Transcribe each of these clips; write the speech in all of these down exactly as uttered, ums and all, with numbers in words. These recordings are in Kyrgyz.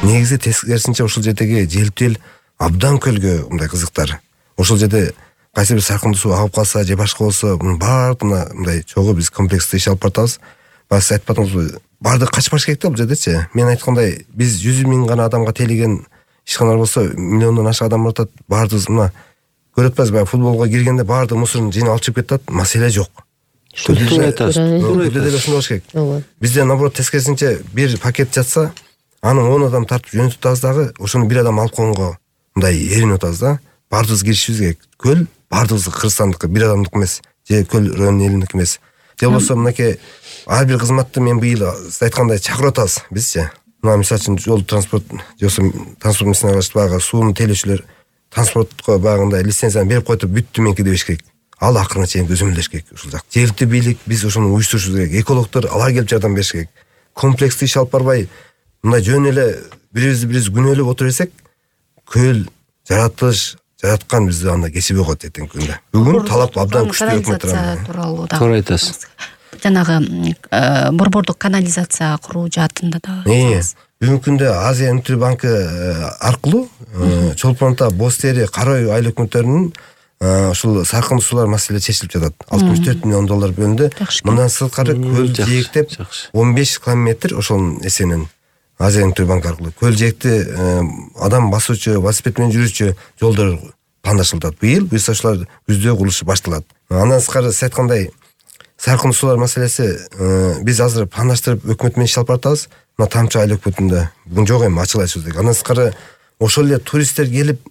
негизи тескерисинче ошол жердеги желптүү эл абдан көлгө мындай кызыктар. Ошол жерде кайсы бир саркындуу суу агып калса же башка болсо мунун баардыгына мындай чогуу биз комплекстүү иш алып баратабыз. Баш айтпадыңызбы, баардыгы качпаш керек да бул жердечи. Мен айткандай, биз жүз миң гана адамга тейлеген ишканалар болсо, миллиондон ашык адам баратат, баардыгы мына көрүп атпайсызбы, баягы футболго киргенде баардык мусорун жыйнап алып чыгып кетет, маселе жок. Туура айтасыз. Туура айтасыз. Ошондой болуш керек. Бизде наоборот тескерисинче бир пакет жатса, аны он адам тартып жөнөтүп атабыз дагы, ошону бир адам алып койгонго мындай эринип атабыз да. Баардыгыбыз киришибиз керек. Көл баардыгыбыз Кыргызстандыкы, бир адамдык эмес, же көл район элиндики эмес. Же болбосо мынакей ар бир кызматты мен быйыл сиз айткандай чакырып атабыз бизчи. Мына мисалы үчүн жол транспорт, же болбосо транспорт мисиялашып багы сууну тейлөөчүлөр транспортко багында лицензияны берип коюп бүттү менки дебеш керек. Ал акырына чейин көзөмөлдөш керек ушул жак. Жергиликтүү бийлик биз ошону уюштурушубуз керек. Экологдор алар келип жардам бериш керек. Комплекстүү иш алып барбай, мындай жөн эле бирибизди бирибиз күнөөлөп отура берсек, көл жаратылыш жараткан бизди анда кечип койот эртеңки күндө. Бүгүн талап абдан күчтүү өкмөт тууралуу да. Туура айтасыз. Жанагы борбордук канализация куруу жаатында да. Бүгүнкү күндө Азия өнүктүү банкы аркылуу Чолпон ата, Боз Тери, Кара үй айыл өкмөттөрүнүн ушул саркындуу суулар маселеси чечилип жатат. алтымыш төрт миллион доллар бөлүндү. Мындан сырткары көл жээктеп он беш километр ошонун эсебинен Азия өнүктүү банк аркылуу көл жээкти адам басуучу, велосипед менен жүрүүчү жолдор пландаштырылат. Быйыл буюрса ушулар күздө курулушу башталат. Андан сырткары сиз айткандай саркындуу суулар маселеси биз азыр пландаштырып өкмөт менен иш алып баратабыз. Мына Тамчы айыл өкмөтүндө бүгүн жок эми ачык айтышыбыз керек. Андан сырткары ошол эле туристтер келип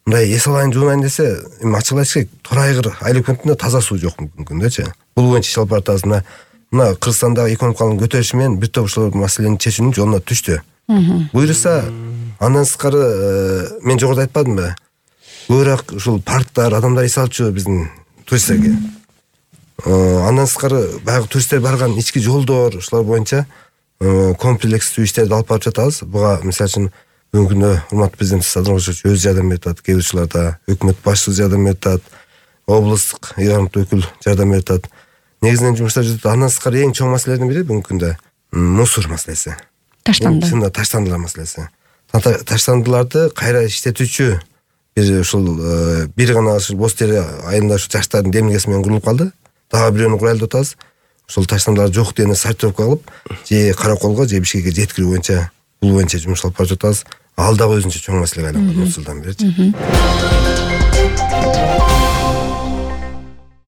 мындай эс алайын, жуунайын десе, эми ачык айтыш керек, Торайгыр айыл өкмөтүндө таза суу жок бүгүнкү күндөчү. Бул боюнча иш алып баратабыз. Мына мына Кыргызстандагы экономикалык көтөрүшү менен бир топ ушул маселени чечүүнүн жолуна түштү. Буюрса андан сырткары мен жогоруда айтпадымбы? Көбүрөөк ушул парктар, адамдар эс алчу биздин туристтерге. Андан сырткары баягы туристтер барган ички жолдор, ушулар боюнча комплекстүү иштерди алып барып жатабыз. Буга мисалы үчүн бүгүнкү күндө урматтуу президент Садыр Кожоевич өз жардам берип атат, кээ бир учурларда өкмөт башчысы жардам берип атат, облустук ыйгарымдуу өкүл жардам берип атат. Негизинен жумуштар жүрүп атат. Андан сырткары эң чоң маселелердин бири бүгүнкү күндө мусор маселеси. Таштанды. Чында таштандылар маселеси. Таштандыларды кайра иштетүүчү бир ушул бир гана ушул Боз Тери айылында ушу жаштардын демилгеси менен курулуп калды. Дагы бирөөнү курайлы деп атабыз. Ушул таштандылар жок дегенде сортировка кылып, же Караколго, же Бишкекке жеткирүү боюнча бул боюнча жумуш алып барып жатабыз. Ал дагы өзүнчө чоң маселеге айланган ушул жылдан беричи.